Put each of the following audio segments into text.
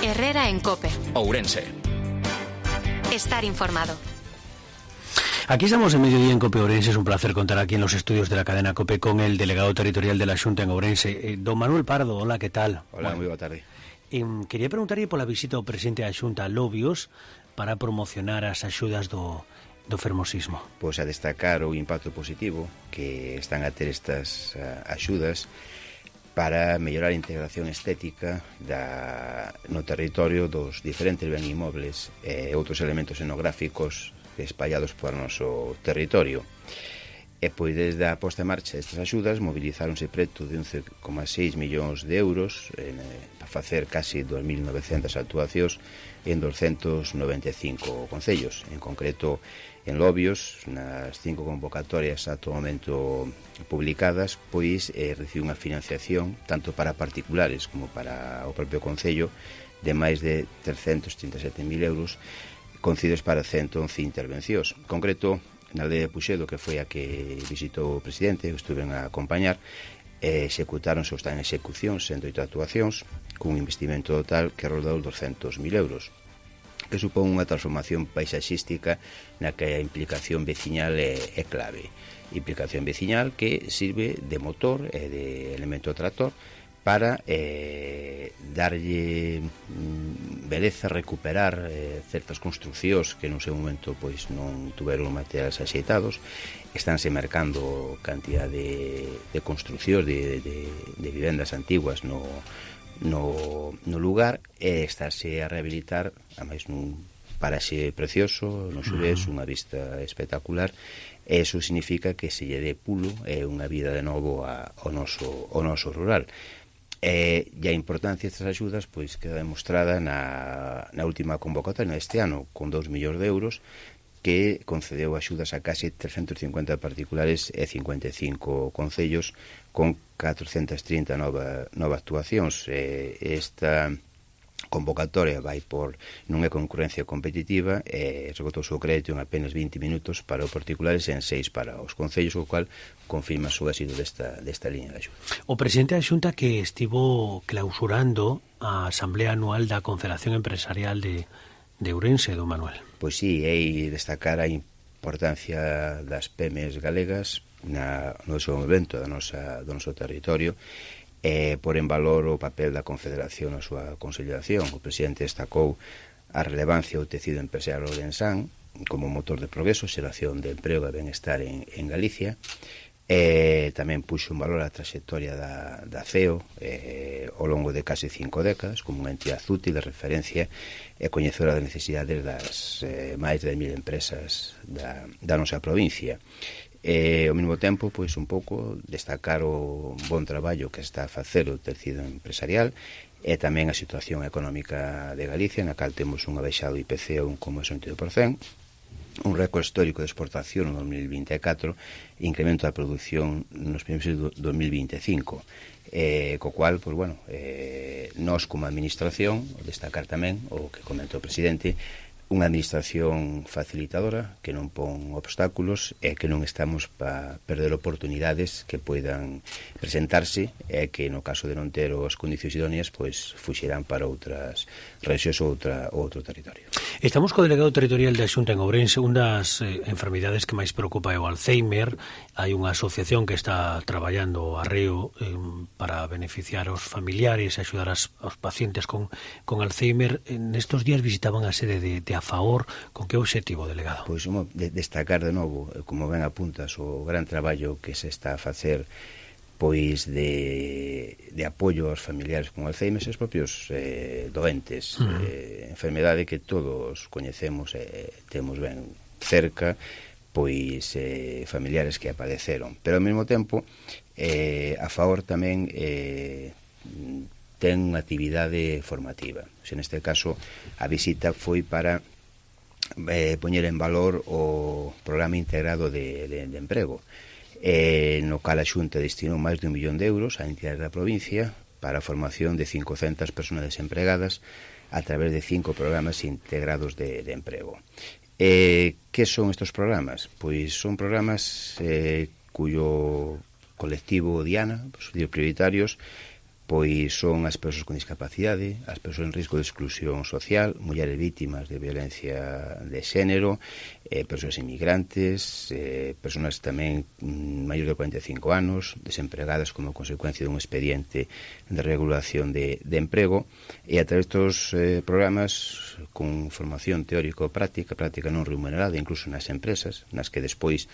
Herrera en COPE. Ourense. Estar informado. Aquí estamos en Mediodía en COPE Ourense. Es un placer contar aquí en los estudios de la cadena COPE con el delegado territorial de la Xunta en Ourense, don Manuel Pardo. Hola, ¿qué tal? Hola, moi boa tarde. Quería preguntarle pola visita ao presidente da Xunta a Lobios para promocionar as axudas do fermosismo. Pois a destacar o impacto positivo que están a ter estas axudas para mellorar a integración estética no territorio dos diferentes ben inmobles e outros elementos etnográficos espallados por noso territorio. E pois desde a posta en marcha destas axudas mobilizáronse preto de 11,6 millóns de euros para facer casi 2.900 actuacións en 295 concellos. En concreto, en Lobios, nas 5 convocatorias ata o momento publicadas, pois recibe unha financiación tanto para particulares como para o propio concello de máis de 337.000 euros concedidos para 111 intervencións. En concreto, na aldea de Puxedo, que foi a que visitou o presidente, estuven a acompañar, executáronse ou están en execución 108 actuacións cun investimento total que rodou 200.000 euros, que supón unha transformación paisaxística na que a implicación veciñal é clave. Implicación veciñal que sirve de motor e de elemento tractor para darlle beleza, recuperar certas construccións que no seu momento pois non tuveron materiais axeitados. Estánse mercando cantidad de construccións de vivendas antiguas no lugar, e estáse a rehabilitar a máis nun paraxe precioso no Xurés, unha vista espectacular, e iso significa que se lle dé pulo unha vida de novo ao noso rural. E a importancia destas axudas pois queda demostrada na última convocatoria deste ano, con 2 millóns de euros, que concedeu axudas a case 350 particulares e 55 concellos con 430 nova actuacións. Esta convocatoria vai non é concurrencia competitiva e esgotouse o crédito en apenas 20 minutos para os particulares e en 6 para os concellos, o cual confirma o éxito desta liña de axuda. O presidente da Xunta que estivo clausurando a Asamblea Anual da Confederación Empresarial de Ourense, don Manuel. Pois sí, é destacar a importancia das PEMES galegas no desenvolvemento do noso territorio, por en valor o papel da Confederación na súa consolidación. O presidente destacou a relevancia do tecido empresarial ourensán como motor de progreso, xeración de emprego e benestar en Galicia, e tamén puxo en valor a trayectoria da CEO ao longo de case 5 décadas como unha entidade útil de referencia e coñecedora das necesidades das máis de 10.000 empresas da nosa provincia. Ao mesmo tempo, pois un pouco destacar o bon traballo que está a facer o tecido empresarial e tamén a situación económica de Galicia, na cal temos un baixado IPC a 1,62%, un récord histórico de exportación no 2024, incremento da produción nos primeiros do 2025, co cual, pois, bueno, nós como administración, destacar tamén o que comentou o presidente, unha administración facilitadora que non pon obstáculos e que non estamos para perder oportunidades que poidan presentarse e que no caso de non ter as condicións idóneas pois fuxirán para outras rexións ou outro territorio. Estamos co delegado territorial da Xunta en Ourense. Unha das enfermidades que máis preocupa é o Alzheimer. Hai unha asociación que está traballando arreo para beneficiar aos familiares e axudar aos pacientes con Alzheimer. Nestos días visitaban a sede de AFAOR. Con que obxectivo, delegado? Pois destacar de novo, como ben apuntas, o gran traballo que se está a facer pois de apoio aos familiares con Alzheimer e os propios doentes, enfermedade que todos coñecemos e temos ben cerca, pois familiares que apareceron, pero ao mesmo tempo AFAOR tamén ten unha actividade formativa. Neste caso, a visita foi para poñer en valor o programa integrado de emprego, no cal a Xunta destinou máis de 1 millón de euros a entidades da provincia para a formación de 500 personas desempregadas a través de 5 programas integrados de emprego. Que son estes programas? Pois son programas cuyo colectivo Diana, os prioritarios, pois son as persoas con discapacidade, as persoas en risco de exclusión social, mulleres vítimas de violencia de xénero, persoas inmigrantes, persoas tamén maiores de 45 anos, desempregadas como consecuencia dun expediente de regulación de emprego, e a través destos programas con formación teórico-práctica, práctica non remunerada, incluso nas empresas, nas que despois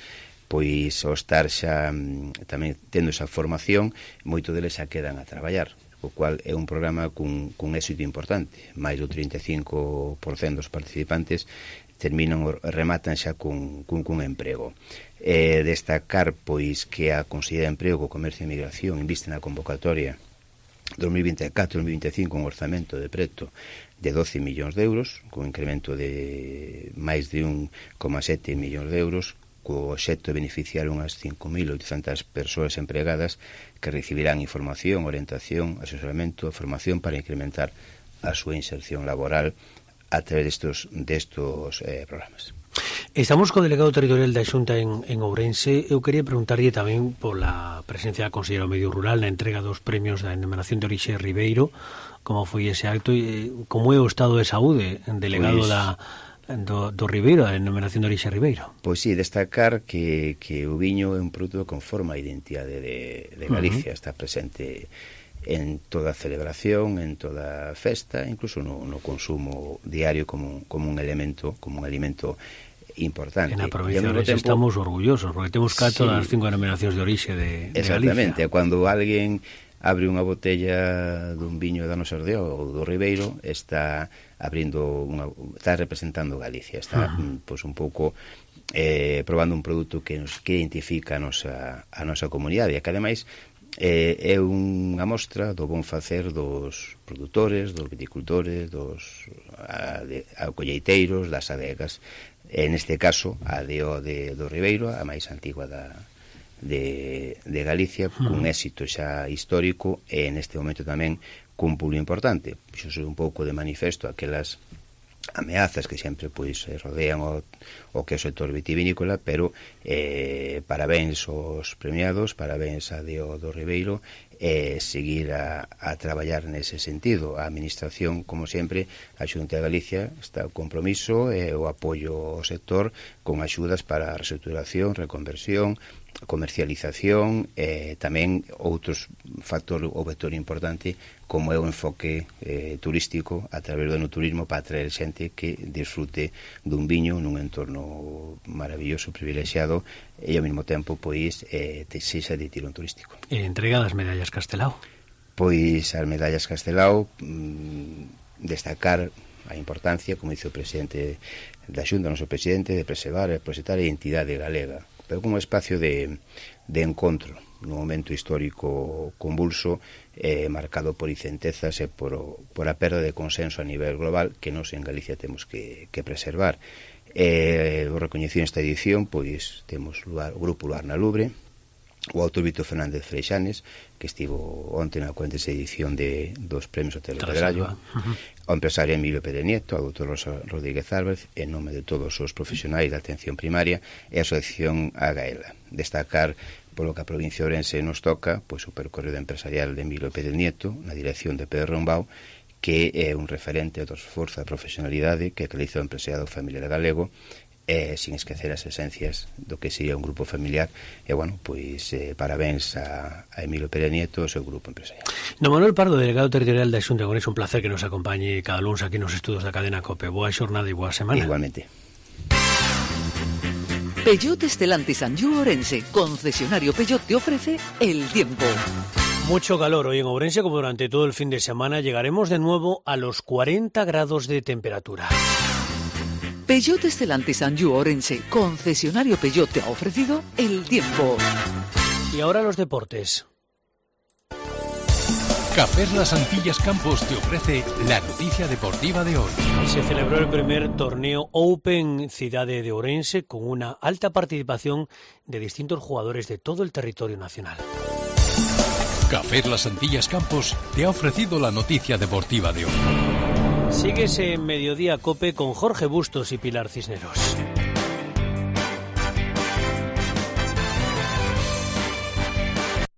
pois ao estar xa tamén tendo esa formación, moito deles xa quedan a traballar, o cual é un programa cun éxito importante. Mais do 35% dos participantes rematan xa cun emprego. Destacar pois que a Consellería de Emprego, Comercio e Migración inviste na convocatoria 2024-2025 un orzamento de preto de 12 millóns de euros, con incremento de máis de 1,7 millóns de euros, co obxecto de beneficiar unhas 5.800 persoas empregadas que recibirán información, orientación, asesoramento e formación para incrementar a súa inserción laboral a través destos programas. Estamos co delegado territorial da Xunta en Ourense. Eu quería preguntarlle tamén pola presencia da Conselleira do Medio Rural na entrega dos premios da Denominación de Orixe Ribeiro, como foi ese acto e como é o estado de saúde, delegado do Ribeiro, a denominación de orixe Ribeiro. Pois sí, destacar que o viño é un produto que conforma a identidade de Galicia, está presente en toda celebración, en toda festa, incluso no consumo diario como un elemento, como un alimento importante. En a provincia de Ourense estamos orgullosos, porque temos 4 das 5 denominacións de orixe de Galicia. Exactamente, cando alguén abre unha botella dun viño da nosa aldea ou do Ribeiro, está representando Galicia, está pois un pouco probando un produto que identifica a nosa comunidade, e que ademais é unha mostra do bon facer dos produtores, dos viticultores, dos colleiteiros, das adegas. En este caso, a do Ribeiro, a máis antigua de Galicia, cun éxito xa histórico e neste momento tamén cun pulo importante. Iso é un pouco de manifesto aquelas ameazas que sempre pois rodean o que é o sector vitivinícola, pero parabéns aos premiados, parabéns a do Ribeiro, seguir a traballar nese sentido. A Administración, como sempre, a Xunta de Galicia está o compromiso e o apoio ao sector con axudas para a reestruturación, reconversión, comercialización, tamén outros factor ou vector importante como é o enfoque turístico a través do enoturismo para atraer xente que disfrute dun viño nun entorno maravilloso, privilexiado e ao mesmo tempo pois sexa de tirón turístico. E entrega das medallas Castelao? Pois as medallas Castelao, destacar a importancia, como dice o presidente da Xunta, o noso presidente, de preservar e proxectar a identidade galega, pero como espacio de encontro nun momento histórico convulso, marcado por incentezas e por a perda de consenso a nivel global que nós en Galicia temos que preservar. O recoñecido esta edición, pois temos o Grupo Luar na Lubre, o autor Víctor Fernández Freixanes, que estivo onte na 46ª edición dos Premios Hotel Pedrallo, o empresario Emilio Pérez Nieto, a doutor Rosa Rodríguez Álvarez, en nome de todos os profesionais da atención primaria e a Asociación Agaela. Destacar polo que a provincia de Ourense nos toca, pois o percorrido empresarial de Emilio Pérez Nieto, na dirección de Pedro Rombao, que é un referente do esforzo e profesionalidade que realiza o empresariado familiar galego, sin esquecer as esencias do que sería un grupo familiar. E, bueno, pois parabéns a Emilio Pérez Nieto e o seu grupo empresarial. Don Manuel Pardo, delegado territorial da Xunta de Ourense, un placer que nos acompañe cada lunes aquí nos estudos da cadena COPE. Boa xornada e boa semana. Igualmente. Peugeot Stellantis Anjou Ourense, concesionario Peugeot, te ofrece el tiempo. Mucho calor hoy en Ourense, como durante todo el fin de semana. Llegaremos de nuevo a los 40 grados de temperatura. Peugeot Stellantis Anjou Ourense, concesionario Peugeot, te ha ofrecido el tiempo. Y ahora los deportes. Cafés Las Antillas Campos te ofrece la noticia deportiva de hoy. Se celebró el primer torneo Open Cidade de Ourense con una alta participación de distintos jugadores de todo el territorio nacional. Cafés Las Antillas Campos te ha ofrecido la noticia deportiva de hoy. Síguese en Mediodía Cope con Jorge Bustos y Pilar Cisneros.